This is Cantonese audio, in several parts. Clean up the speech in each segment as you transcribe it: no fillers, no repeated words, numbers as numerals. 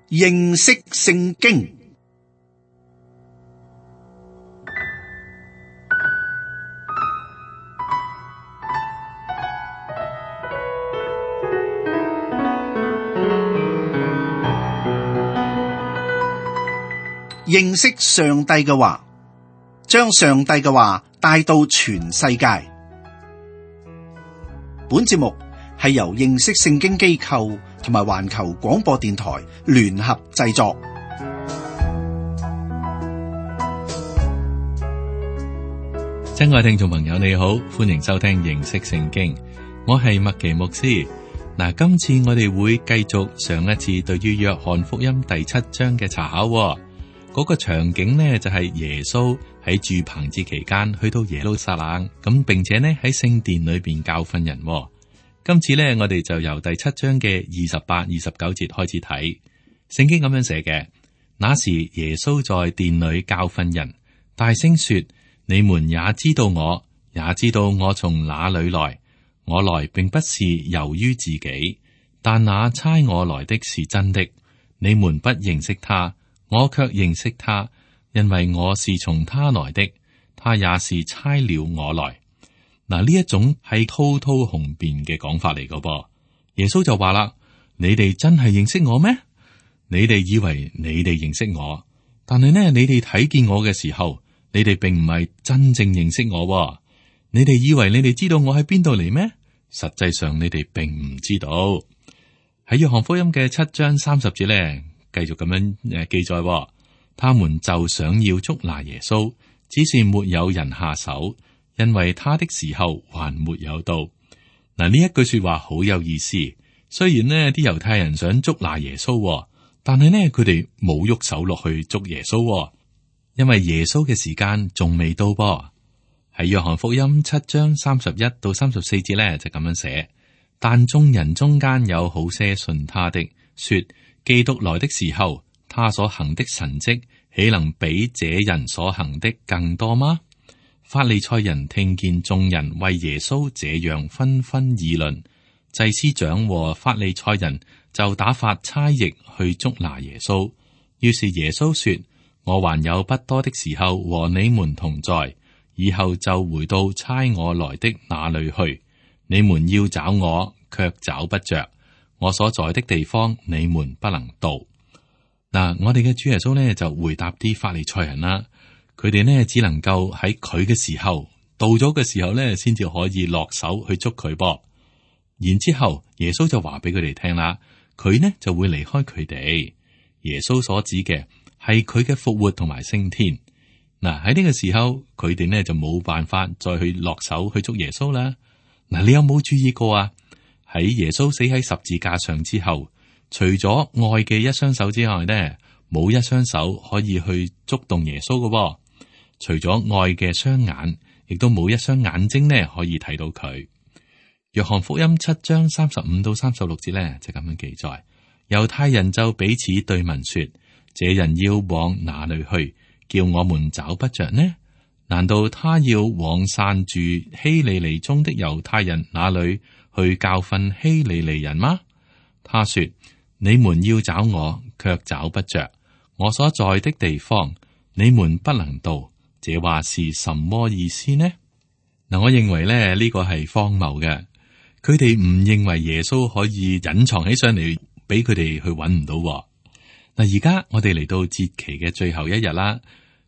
認識聖經。認識上帝嘅話，將上帝嘅話帶到全世界。本節目係由認識聖經機構同埋環球廣播電台聯合製作。親愛聽眾朋友，你好，歡迎收聽認識聖經。我係麥奇牧師。嗱，今次我哋會繼續上一次對於約翰福音第7章嘅查考。嗰個場景呢，就係耶穌喺住棚節期間去到耶路撒冷，咁並且呢喺聖殿裏邊教訓人。今次呢，我哋就由第7章嘅28、29節開始睇。聖經咁樣寫嘅：那時耶穌在殿裏教訓人，大聲說：你們也知道我，也知道我從哪裏來。我來並不是由於自己，但那差我來的是真的。你們不認識他，我卻認識他，因為我是從他來的，他也是差了我來。嗱，呢一種係滔滔雄辯嘅講法嚟噶噃。耶穌就話啦：你哋真係認識我咩？你哋以為你哋認識我，但係呢，你哋睇見我嘅時候，你哋並唔係真正認識我。你哋以為你哋知道我喺邊度嚟咩？實際上你哋並唔知道。喺約翰福音嘅7章30節呢，繼續咁樣記載，他們就想要捉拿耶穌，只是沒有人下手，因為他的時候還沒有到。嗱，呢一句說話好有意思。雖然呢啲猶太人想捉拿耶穌，但係呢佢哋冇喐手落去捉耶穌，因為耶穌嘅時間仲未到噃。喺約翰福音7章31到34節呢，就咁樣寫：但眾人中間有好些信他的，說基督來的時候，他所行的神蹟豈能比這人所行的更多嗎？法利賽人聽見眾人為耶穌這樣紛紛議論，祭司長和法利賽人就打發差役去捉拿耶穌。於是耶穌說：我還有不多的時候和你們同在，以後就回到差我來的那裏去。你們要找我，卻找不着。我所在的地方，你們不能到。嗱，我哋嘅主耶穌呢，就回答啲法利賽人啦。佢哋呢，只能夠喺佢嘅時候到咗嘅時候呢，先至可以落手去捉佢噃。然之後耶穌就話俾佢哋聽啦，佢呢就會離開佢哋。耶穌所指嘅係佢嘅復活同埋升天。嗱，喺呢個時候，佢哋呢就冇辦法再去落手去捉耶穌啦。嗱，你有冇注意過啊？喺耶穌死喺十字架上之後，除咗愛嘅一雙手之外呢，冇一雙手可以去觸動耶穌嘅。除咗愛嘅雙眼，亦都冇一雙眼睛呢可以睇到佢。約翰福音7章35到36節呢就咁樣記載：猶太人就彼此對問說：這人要往哪裏去？叫我們找不着呢？難道他要往散住希利尼中的猶太人那裏去教訓希利尼人嗎？他說：你們要找我，卻找不着。我所在的地方，你們不能到。這話是什麼意思呢？嗱，我認為咧呢個係荒謬嘅。佢哋唔認為耶穌可以隱藏起上嚟，俾佢哋去揾唔到。嗱，而家我哋嚟到節期嘅最後一日啦，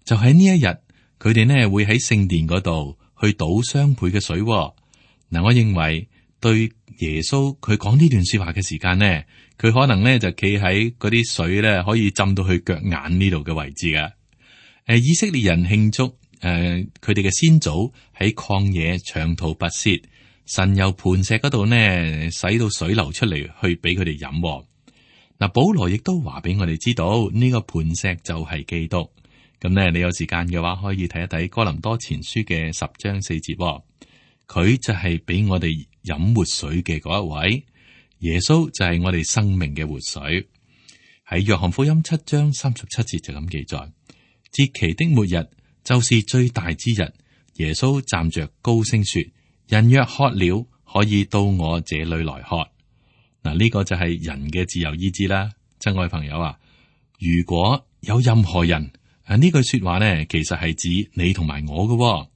就喺呢一日，佢哋呢會喺聖殿嗰度去倒雙倍嘅水。嗱，我認為對耶穌佢講呢段說話嘅時間呢，佢可能呢就企喺嗰啲水呢可以浸到去腳眼呢度嘅位置嘅。以色列人慶祝佢哋嘅先祖喺曠野長途跋涉，神由磐石嗰度呢使到水流出嚟，去俾佢哋飲。嗱，保羅亦都話俾我哋知道呢個磐石就係基督。咁呢，你有時間嘅話可以睇一睇哥林多前書嘅10章4節。佢就係俾我哋飲活水嘅嗰一位，耶穌就係我哋生命嘅活水。喺約翰福音7章37節就咁記載：節期的末日就是最大之日，耶穌站着高聲說：人若渴了，可以到我這裏來喝。嗱，呢個就係人嘅自由意志啦，親愛朋友啊，如果有任何人呢句說話呢，其實係指你同埋我嘅。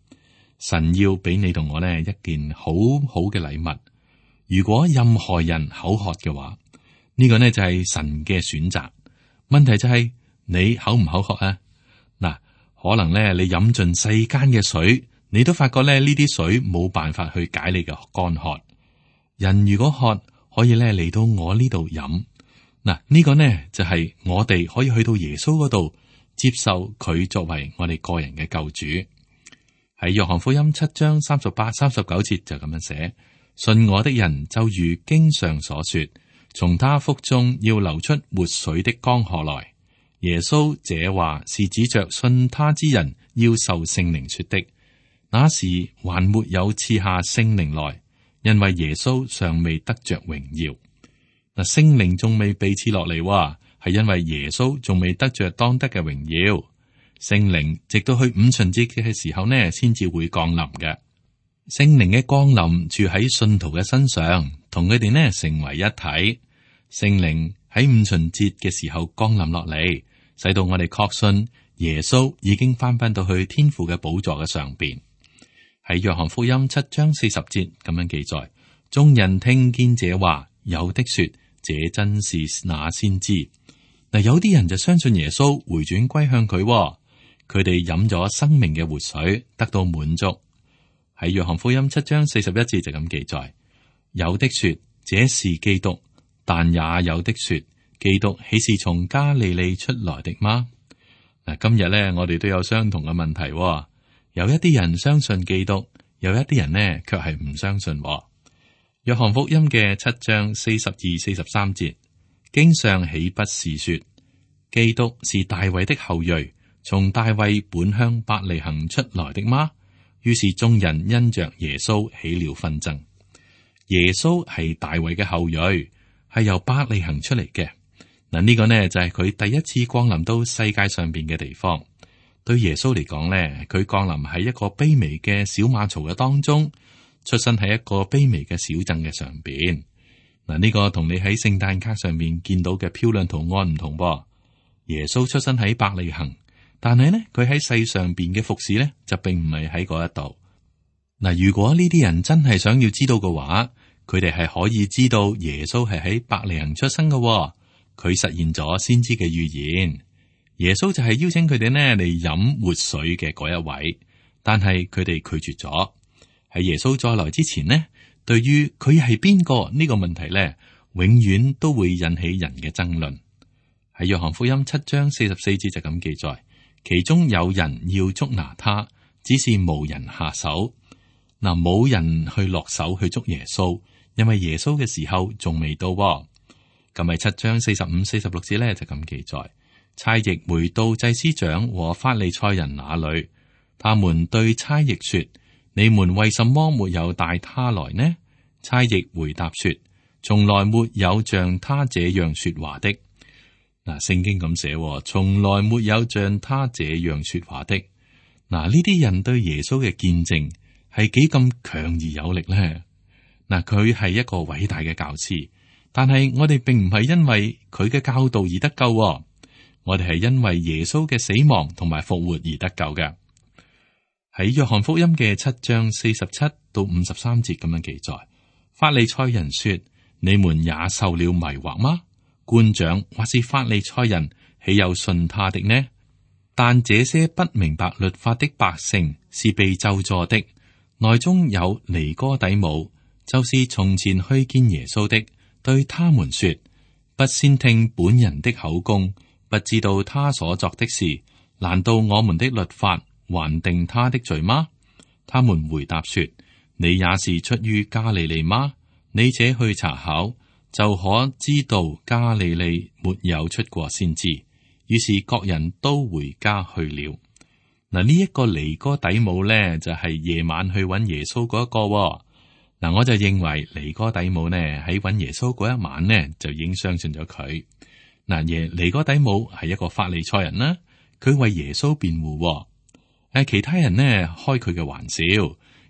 神要俾你同我呢一件好好嘅禮物。如果任何人口渴嘅話，呢個呢就係神嘅選擇。問題就係你口唔口渴啊？嗱，可能呢你飲盡世間嘅水，你都發覺呢啲水冇辦法去解你嘅乾渴。人如果渴，可以呢嚟到我呢度飲。嗱，呢個呢就係我哋可以去到耶穌嗰度接受佢作為我哋個人嘅救主。喺約翰福音7章38、39節就咁樣寫：信我的人就如經上所說，從他腹中要流出活水的江河來。耶穌這話是指着信他之人要受聖靈說的。那時還沒有賜下聖靈來，因為耶穌尚未得着榮耀。嗱，聖靈仲未被賜落嚟，係因為耶穌仲未得着當得嘅榮耀。聖靈直到去五旬節嘅時候呢，先至會降臨嘅。聖靈嘅降臨住喺信徒嘅身上，同佢哋呢成為一體。聖靈喺五旬節嘅時候降臨落嚟，使到我哋確信耶穌已經翻到去天父嘅寶座嘅上邊。喺約翰福音7章40節咁樣記載：眾人聽見這話，有的說這真是那先知。嗱，有啲人就相信耶穌，回轉歸向佢。佢哋飲咗生命嘅活水，得到滿足。喺約翰福音7章41節就咁記載：有的說這是基督，但也有的說基督豈是從加利利出來的嗎？嗱，今日咧我哋都有相同嘅問題。有一啲人相信基督，有一啲人呢卻係唔相信。約翰福音嘅7章42、43節，經上豈不是說基督是大衛的後裔，從大衛本鄉伯利恆出來的嗎？於是眾人因着耶穌起了紛爭。耶穌係大衛嘅後裔，係由伯利恆出嚟嘅。嗱，呢個呢就係佢第一次降臨到世界上邊嘅地方。對耶穌嚟講呢，佢降臨喺一個卑微嘅小馬槽嘅當中，出生喺一個卑微嘅小鎮嘅上邊。嗱，呢個同你喺聖誕卡上面見到嘅漂亮圖案唔同噃。耶穌出生喺伯利恆。但係呢，佢喺世上邊嘅服侍呢，就並唔係喺嗰一度。嗱，如果呢啲人真係想要知道嘅話，佢哋係可以知道耶穌係喺伯利恆出生嘅。佢實現咗先知嘅預言。耶穌就係邀請佢哋呢嚟飲活水嘅嗰一位，但係佢哋拒絕咗。喺耶穌再來之前呢，對於佢係邊個呢個問題呢，永遠都會引起人嘅爭論。喺約翰福音7章44節就咁記載。其中有人要捉拿他，只是無人下手。嗱，冇人去落手去捉耶穌，因為耶穌嘅時候仲未到。咁喺7章45、46節咧就咁記載：差役回到祭司長和法利賽人那裏，他們對差役說：你們為什麼沒有帶他來呢？差役回答說：從來沒有像他這樣說話的。嗱，聖經咁寫，從來沒有像他這樣說話的。嗱，呢啲人對耶穌嘅見證係幾咁強而有力咧？嗱，佢係一個偉大嘅教師，但係我哋並唔係因為佢嘅教導而得救，我哋係因為耶穌嘅死亡同埋復活而得救嘅。喺約翰福音嘅7章47到53節咁樣記載，法利賽人說：你們也受了迷惑嗎？官長或是法利賽人，豈有信他的呢？但這些不明白律法的百姓是被咒詛的。內中有尼哥底母，就是從前去見耶穌的，對他們說：不先聽本人的口供，不知道他所作的事，難道我們的律法還定他的罪嗎？他們回答說：你也是出於加利利嗎？你且去查考，就可知道加利利沒有出過先知。於是各人都回家去了。嗱，呢一個尼哥底母咧，就係夜晚去揾耶穌嗰一個。嗱，我就認為尼哥底母呢喺揾耶穌嗰一晚呢，就已經相信咗佢。嗱，尼哥底母係一個法利賽人啦，佢為耶穌辯護。其他人呢開佢嘅玩笑，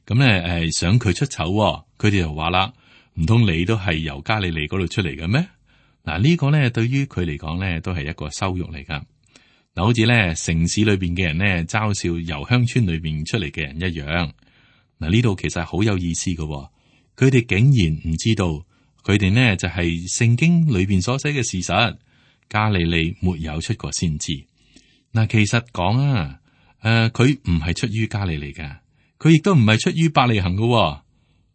咁咧想佢出醜，佢哋就話啦：唔通你都係由加利利嗰度出嚟嘅咩？嗱，呢個咧對於佢嚟講咧都係一個羞辱嚟噶。嗱，好似咧城市裏邊嘅人咧嘲笑由鄉村裏邊出嚟嘅人一樣。嗱，呢度其實係好有意思噶，佢哋竟然唔知道佢哋呢就係聖經裏邊所寫嘅事實。加利利沒有出過先知。嗱，其實講啊，佢唔係出於加利利噶，佢亦都唔係出於伯利恆噶。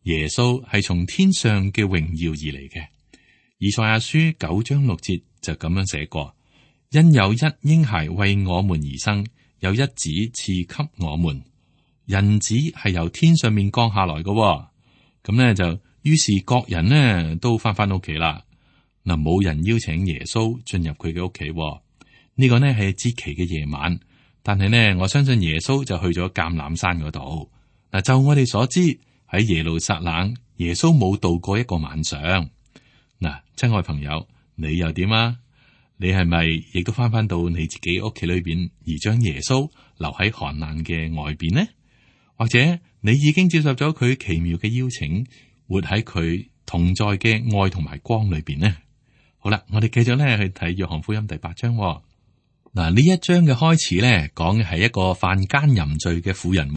耶穌係從天上嘅榮耀而嚟嘅。以賽亞書9章6節就咁樣寫過：因有一嬰孩為我們而生，有一子賜給我們。人子係由天上面降下來嘅。咁呢，就於是各人呢都翻屋企啦。嗱，冇人邀請耶穌進入佢嘅屋企。呢個呢係節期嘅夜晚，但係呢，我相信耶穌就去咗橄欖山嗰度。嗱，就我哋所知，喺耶路撒冷，耶穌冇度過一個晚上。嗱，親愛朋友，你又點啊？你係咪亦都翻到你自己屋企裏邊，而將耶穌留喺寒冷嘅外邊呢？或者你已經接受咗佢奇妙嘅邀請，活喺佢同在嘅愛同埋光裏邊呢？好啦，我哋繼續咧去睇約翰福音第8章。嗱，呢一章嘅開始咧，講嘅係一個犯奸淫罪嘅婦人。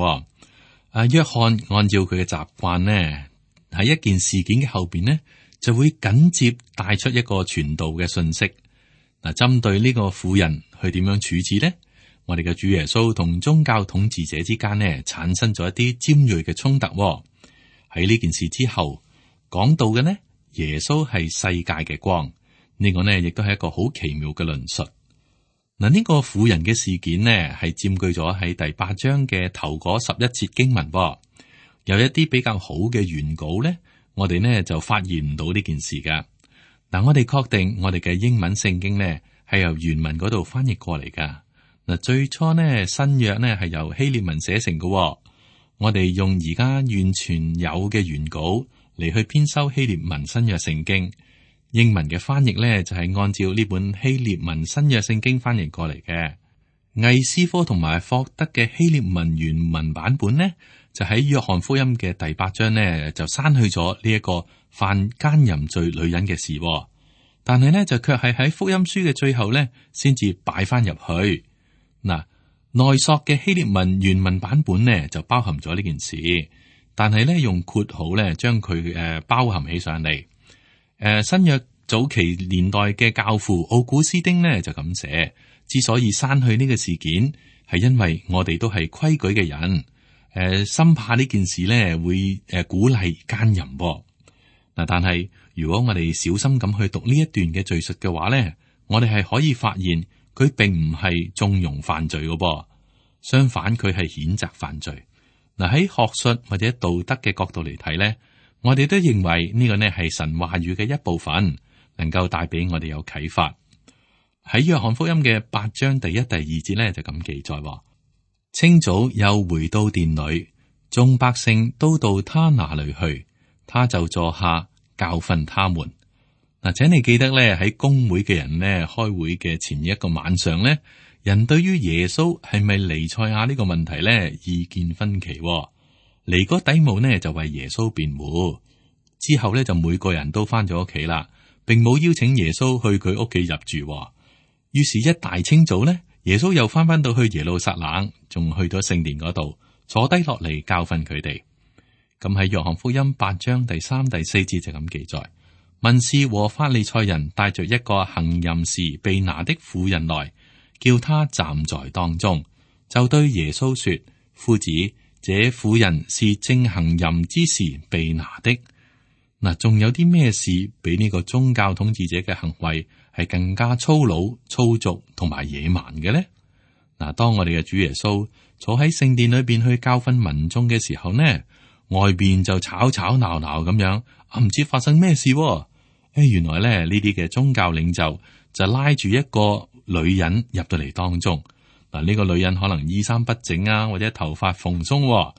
約翰按照佢嘅習慣呢，喺一件事件嘅後邊呢，就會緊接帶出一個傳道嘅信息。嗱，針對呢個婦人去點樣處置呢？我哋嘅主耶穌同宗教統治者之間呢，產生咗一啲尖銳嘅衝突。喺呢件事之後，講到嘅呢，耶穌係世界嘅光。呢個呢，亦都係一個好奇妙嘅論述。嗱，呢個婦人嘅事件呢，係佔據咗喺第8章嘅頭嗰11節經文。有一啲比較好嘅原稿呢，我哋呢就發現唔到呢件事噶。嗱，我哋確定我哋嘅英文聖經呢係由原文嗰度翻譯過嚟噶。嗱，最初呢新約呢係由希臘文寫成嘅。我哋用而家完全有嘅原稿嚟去編修希臘文新約聖經。英文嘅翻譯咧就係按照呢本希臘文新約聖經翻譯過嚟嘅。魏斯科同埋霍德嘅希臘文原文版本呢，就喺約翰福音嘅第8章呢就刪去咗呢一個犯奸淫罪女人嘅事，但係呢就卻係喺福音書嘅最後呢先至擺翻入去。嗱，內索嘅希臘文原文版本呢就包含咗呢件事，但係呢用括號呢將佢包含起上嚟。新約早期年代嘅教父奧古斯丁呢就咁寫，之所以刪去呢個事件，係因為我哋都係規矩嘅人，深怕呢件事呢會鼓勵奸淫。嗱，但係如果我哋小心咁去讀呢一段嘅敘述嘅話呢，我哋係可以發現佢並唔係縱容犯罪嘅噃，相反佢係譴責犯罪。嗱，喺學術或者道德嘅角度嚟睇呢，我哋都認為呢個呢係神話語嘅一部分，能夠帶俾我哋有啟發。喺約翰福音嘅8章第1、第2節呢，就咁記載：清早又回到殿裏，眾百姓都到他那裏去，他就坐下教訓他們。嗱，請你記得呢，喺公會嘅人呢開會嘅前一個晚上呢，人對於耶穌係咪彌賽亞呢個問題呢意見分歧。尼哥底母呢就為耶穌辯護，之後呢就每個人都翻咗屋企啦，並冇邀請耶穌去佢屋企入住。於是，一大清早呢，耶穌又翻到去耶路撒冷，仲去咗聖殿嗰度坐低落嚟教訓佢哋。咁喺約翰福音8章第3、第4節就咁記載：文士和法利賽人帶着一個行淫時被拿的婦人來，叫他站在當中，就對耶穌說：夫子，這婦人是正行淫之時被拿的。嗱，仲有啲咩事比呢個宗教統治者嘅行為係更加粗魯、粗俗同埋野蠻嘅呢？嗱，當我哋嘅主耶穌坐喺聖殿裏邊去教訓民眾嘅時候呢，外邊就吵吵鬧鬧咁樣，唔知發生咩事。原來咧呢啲嘅宗教領袖就拉住一個女人入到嚟當中。嗱，呢個女人可能衣衫不整啊，或者頭髮蓬鬆，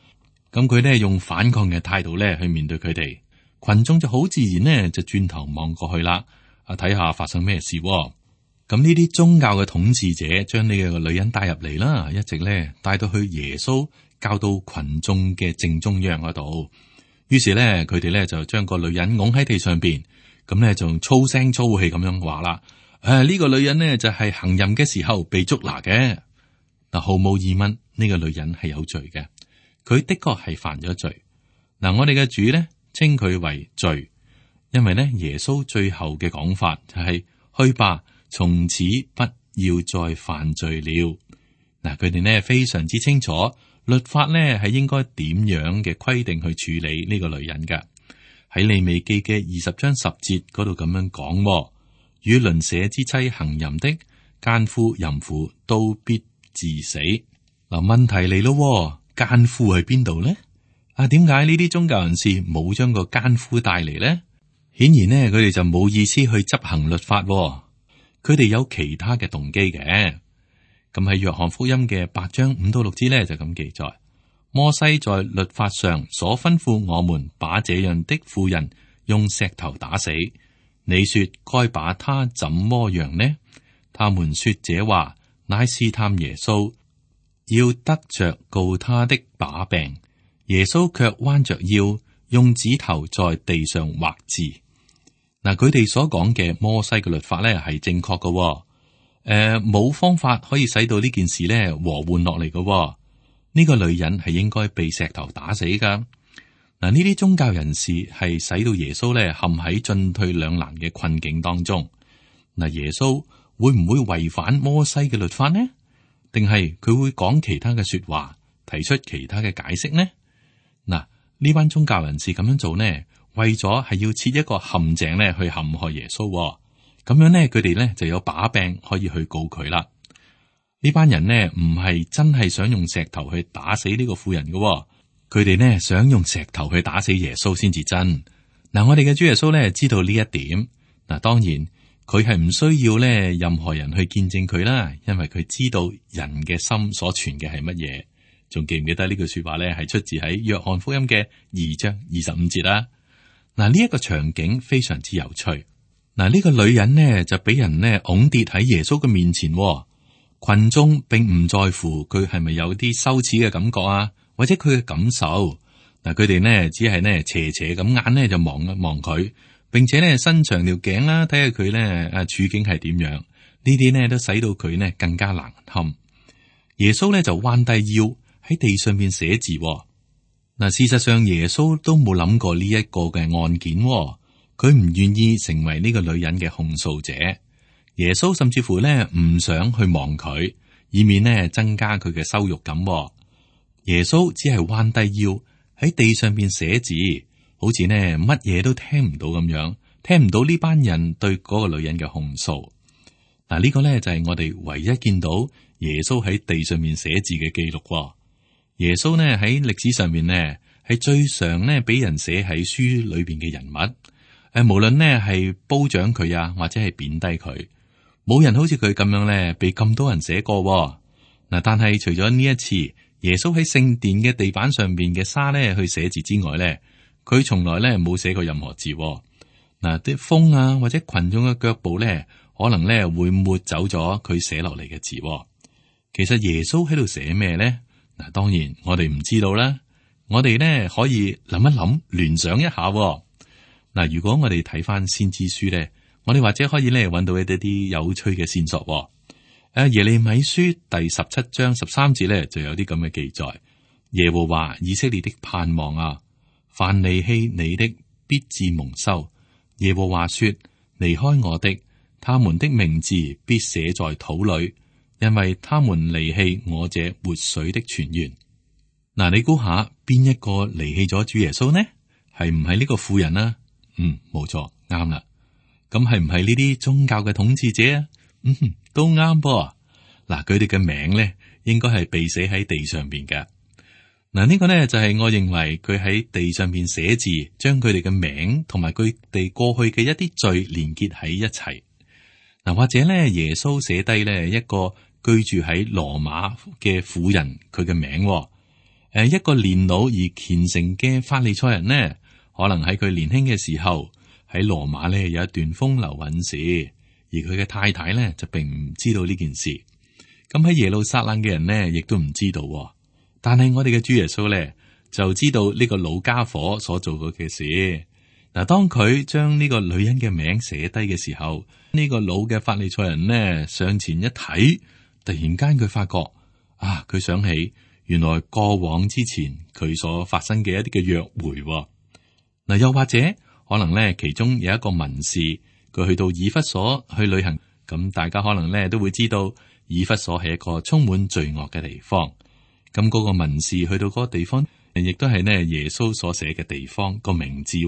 咁佢咧用反抗嘅態度咧去面對佢哋，群眾就好自然呢就轉頭望過去啦，睇下發生咩事。咁呢啲宗教嘅統治者將呢個女人帶入嚟啦，一直咧帶到去耶穌教導群眾嘅正中央嗰度。於是咧佢哋咧就將個女人拱喺地上邊，咁咧仲粗聲粗氣咁樣話啦。呢個女人呢，就係行淫嘅時候被捉拿嘅。嗱，毫無疑問，呢個女人係有罪嘅，佢的確係犯咗罪。嗱，我哋嘅主呢，稱佢為罪，因為呢耶穌最後嘅講法就係去吧，從此不要再犯罪了。嗱，佢哋呢非常之清楚律法呢係應該點樣嘅規定去處理呢個女人㗎。喺利未記嘅20章10節嗰度咁樣講，與鄰舍之妻行淫的奸夫淫婦都必治死。嗱，問題嚟咯，奸夫喺邊度呢？點解呢啲宗教人士冇將個奸夫帶嚟呢？顯然呢，佢哋就冇意思去執行律法，佢哋有其他嘅動機嘅。咁喺約翰福音嘅8章5到6節呢，就咁記載：摩西在律法上所吩咐我們把這樣的婦人用石頭打死，你說該把他怎麼樣呢？他們說這話乃試探耶穌，要得着告他的把柄。耶穌卻彎着腰，用指頭在地上畫字。嗱，佢哋所講嘅摩西嘅律法咧係正確嘅，冇方法可以使到呢件事咧和緩落嚟嘅。呢個女人係應該被石頭打死噶。嗱，呢啲宗教人士係使到耶穌咧陷喺進退兩難嘅困境當中。嗱，耶穌會唔會違反摩西嘅律法呢？定係佢會講其他嘅說話，提出其他嘅解釋呢？嗱，呢班宗教人士咁樣做呢，為咗係要設一個陷阱咧去陷害耶穌。咁樣呢，佢哋呢就有把柄可以去告佢啦。呢班人呢唔係真係想用石頭去打死呢個婦人嘅，佢哋呢想用石頭去打死耶穌先至真。嗱，我哋嘅主耶穌呢知道呢一點。嗱，當然佢係唔需要呢任何人去見證佢啦，因為佢知道人嘅心所存嘅係乜嘢。仲記唔記得呢句說話呢係出自喺約翰福音嘅2章25節啦。嗱，呢一個場景非常之有趣。嗱，呢個女人呢就俾人呢拱跌喺耶穌嘅面前，群眾並唔在乎佢係咪有啲羞恥嘅感覺啊，或者佢嘅感受。嗱，佢哋呢只係呢斜斜咁眼呢就望一望佢，並且呢伸長條頸啦，睇下佢呢處境係點樣。呢啲呢都使到佢呢更加難堪。耶穌呢就彎低腰喺地上面寫字。嗱，事實上耶穌都冇諗過呢一個嘅案件，佢唔願意成為呢個女人嘅控訴者。耶穌甚至乎呢唔想去望佢，以免呢增加佢嘅羞辱感。耶穌只係彎低腰喺地上邊寫字，好似呢乜嘢都聽唔到咁樣，聽唔到呢班人對嗰個女人嘅控訴。嗱，呢個呢就係我哋唯一見到耶穌喺地上面寫字嘅記錄。耶穌呢喺歷史上面呢係最常呢俾人寫喺書裏邊嘅人物。無論呢係褒獎佢啊，或者係貶低佢，冇人好似佢咁樣呢被咁多人寫過。嗱，但係除咗呢一次，耶穌喺聖殿嘅地板上邊嘅沙呢去寫字之外呢，佢從來呢冇寫過任何字。嗱，啲風啊或者群眾嘅腳步呢，可能呢會抹走咗佢寫落嚟嘅字。其實耶穌喺度寫咩呢？嗱，當然我哋唔知道啦。我哋呢可以諗一諗，聯想一下。嗱，如果我哋睇翻先知書咧，我哋或者可以咧揾到一啲有趣嘅線索。耶利米書第17章13節咧就有啲咁嘅記載：耶和華以色列的盼望啊，凡離棄你的必致蒙羞。耶和華說：離開我的，他們的名字必寫在土裏，因為他們離棄我這活水的泉源。嗱，你估下邊一個離棄咗主耶穌呢？係唔係呢個婦人啊？冇錯，啱啦。咁係唔係呢啲宗教嘅統治者啊？都啱噃。嗱，佢哋嘅名咧，應該係被寫喺地上邊嘅。嗱，呢個呢，就係我認為佢喺地上邊寫字，將佢哋嘅名同埋佢哋過去嘅一啲罪連結喺一齊。嗱，或者咧，耶穌寫低咧一個居住喺羅馬嘅婦人佢嘅名。一個年老而虔誠嘅法利賽人呢，可能喺佢年輕嘅時候喺羅馬呢有一段風流韻事，而佢嘅太太呢就並唔知道呢件事。咁喺耶路撒冷嘅人呢，亦都唔知道。但係我哋嘅主耶穌呢，就知道呢個老家伙所做過嘅事。嗱，當佢將呢個女人嘅名寫低嘅時候，呢個老嘅法利賽人呢上前一睇，突然間佢發覺啊，佢想起原來過往之前佢所發生嘅一啲嘅約會。嗱，又或者可能呢，其中有一個文士，佢去到以弗所去旅行，咁大家可能呢都會知道，以弗所係一個充滿罪惡嘅地方。咁嗰個文士去到嗰個地方，亦都係呢耶穌所寫嘅地方個名字。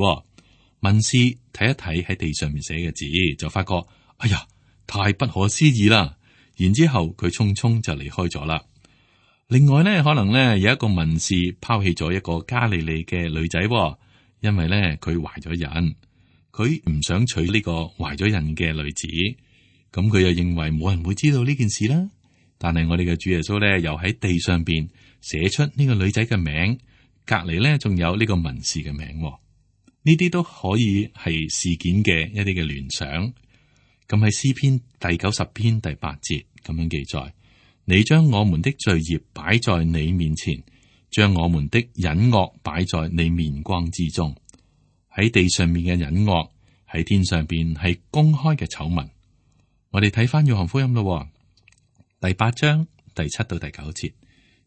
文士睇一睇喺地上面寫嘅字，就發覺哎呀，太不可思議啦！然之後佢匆匆就離開咗啦。另外呢，可能呢有一個文士拋棄咗一個加利利嘅女仔，因為呢佢懷咗孕，佢唔想娶呢個懷咗孕嘅女子，咁佢又認為冇人會知道呢件事啦。但係我哋嘅主耶穌呢，又喺地上邊寫出呢個女仔嘅名，隔籬呢仲有呢個文士嘅名。呢啲都可以係事件嘅一啲嘅聯想。咁喺詩篇第90篇第8節咁樣記載：你將我們的罪孽擺在你面前，將我們的隱惡擺在你面光之中。喺地上面嘅隱惡，喺天上邊係公開嘅醜聞。我哋睇翻約翰福音咯，第8章第7到第9節，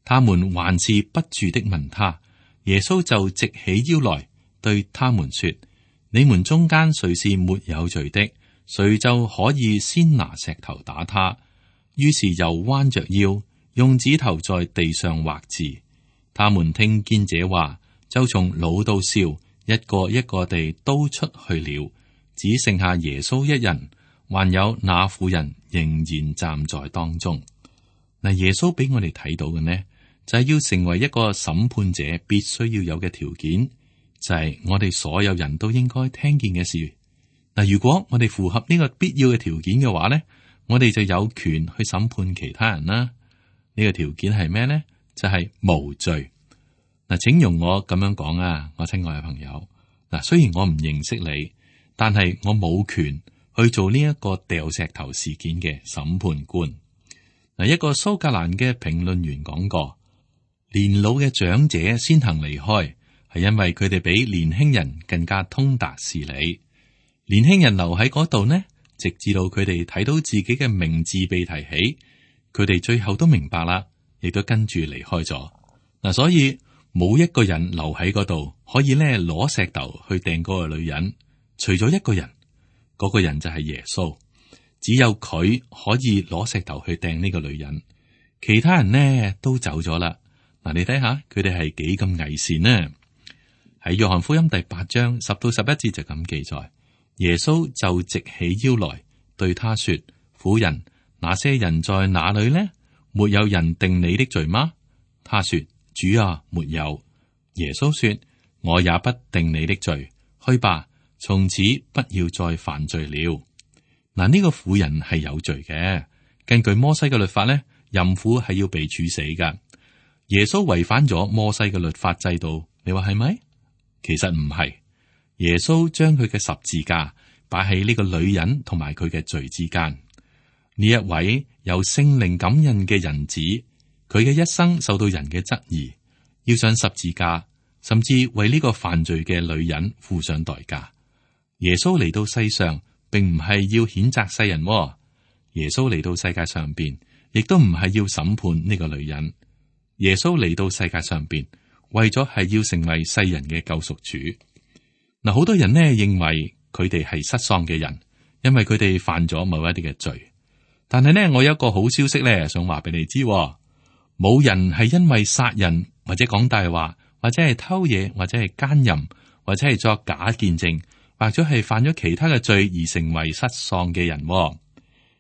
他們還是不住的問他，耶穌就直起腰來，對他們說：你們中間誰是沒有罪的，誰就可以先拿石頭打他。於是又彎着腰，用指頭在地上畫字。他們聽見這話，就從老到少，一個一個地都出去了，只剩下耶穌一人，還有那婦人仍然站在當中。嗱，耶穌俾我哋睇到嘅呢，就係要成為一個審判者必須要有嘅條件。就係我哋所有人都應該聽見嘅事。嗱，如果我哋符合呢個必要嘅條件嘅話呢，我哋就有權去審判其他人啦。呢個條件係咩呢？就係無罪。嗱，請容我咁樣講啊，我親愛嘅朋友。嗱，雖然我唔認識你，但係我冇權去做呢一個掉石頭事件嘅審判官。嗱，一個蘇格蘭嘅評論員講過，年老嘅長者先行離開，係因為佢哋比年輕人更加通達事理。年輕人留喺嗰度呢，直至到佢哋睇到自己嘅名字被提起，佢哋最後都明白啦，亦都跟住離開咗。嗱，所以冇一個人留喺嗰度可以咧攞石頭去掟嗰個女人，除咗一個人，嗰個人就係耶穌，只有佢可以攞石頭去掟呢個女人，其他人呢都走咗啦。嗱，你睇下佢哋係幾咁偽善呢？喺約翰福音第8章10到11節就咁記載，耶穌就直起腰來對他說：婦人，那些人在哪裏呢？沒有人定你的罪嗎？他說：主啊，沒有。耶穌說：我也不定你的罪，去吧，從此不要再犯罪了。嗱，呢個婦人係有罪嘅，根據摩西嘅律法呢，淫婦係要被處死噶。耶穌違反咗摩西嘅律法制度，你話係咪？其實唔係，耶穌將佢嘅十字架擺喺呢個女人同埋佢嘅罪之間。呢一位由聖靈感孕嘅人子，佢嘅一生受到人嘅質疑，要上十字架，甚至為呢個犯罪嘅女人付上代價。耶穌嚟到世上，並唔係要譴責世人，耶穌嚟到世界上邊，亦都唔係要審判呢個女人。耶穌嚟到世界上邊，為咗係要成為世人嘅救贖主。嗱，好多人呢認為佢哋係失喪嘅人，因為佢哋犯咗某一啲嘅罪。但係呢，我有一個好消息呢，想話俾你知，冇人係因為殺人或者講大話，或者係偷嘢，或者係奸淫，或者係作假見證，或者係犯咗其他嘅罪而成為失喪嘅人。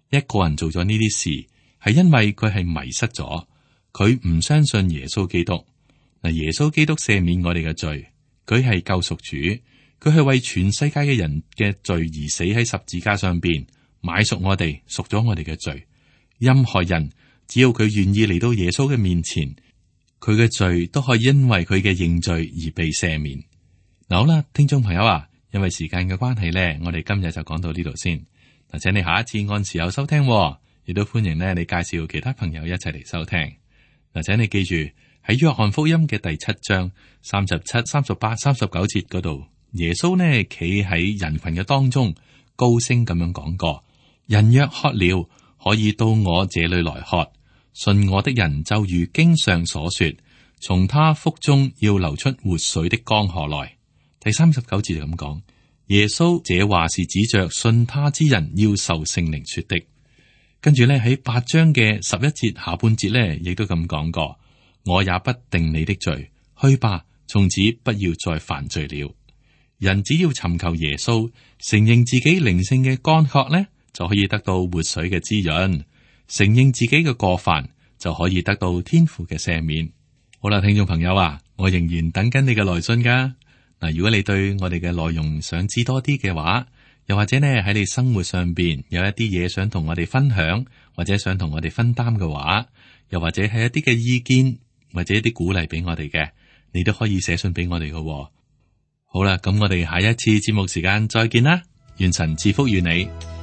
一個人做咗呢啲事，係因為佢係迷失咗，佢唔相信耶穌基督。嗱，耶穌基督赦免我哋嘅罪，佢係救贖主，佢係為全世界嘅人嘅罪而死喺十字架上邊，買贖我哋，贖咗我哋嘅罪。任何人只要佢願意嚟到耶穌嘅面前，佢嘅罪都可以因為佢嘅認罪而被赦免。嗱，好啦，聽眾朋友啊，因為時間嘅關係呢，我哋今日就講到呢度先。嗱，請你下一次按時候收聽，亦都歡迎呢你介紹其他朋友一齊嚟收聽。嗱，請你記住喺約翰福音嘅第7章37、38、39節嗰度，耶穌呢企喺人群嘅當中，高聲咁樣講過：人若渴了，可以到我這裏來喝。信我的人就如經上所說，從他腹中要流出活水的江河來。第39節就咁講，耶穌這話是指着信他之人要受聖靈說的。跟住咧喺8章嘅11節下半節咧，亦都咁講過：我也不定你的罪，去吧，從此不要再犯罪了。人只要尋求耶穌，承認自己靈性嘅乾渴咧，就可以得到活水嘅滋潤；承認自己嘅過犯，就可以得到天父嘅赦免。好啦，聽眾朋友啊，我仍然等緊你嘅來信噶。嗱，如果你對我哋嘅內容想知多啲嘅話，又或者呢喺你生活上邊有一啲嘢想同我哋分享，或者想同我哋分擔嘅話，又或者係一啲嘅意見，或者一啲鼓勵俾我哋嘅，你都可以寫信俾我哋嘅。好啦，咁我哋下一次節目時間再見啦，願神賜福於你。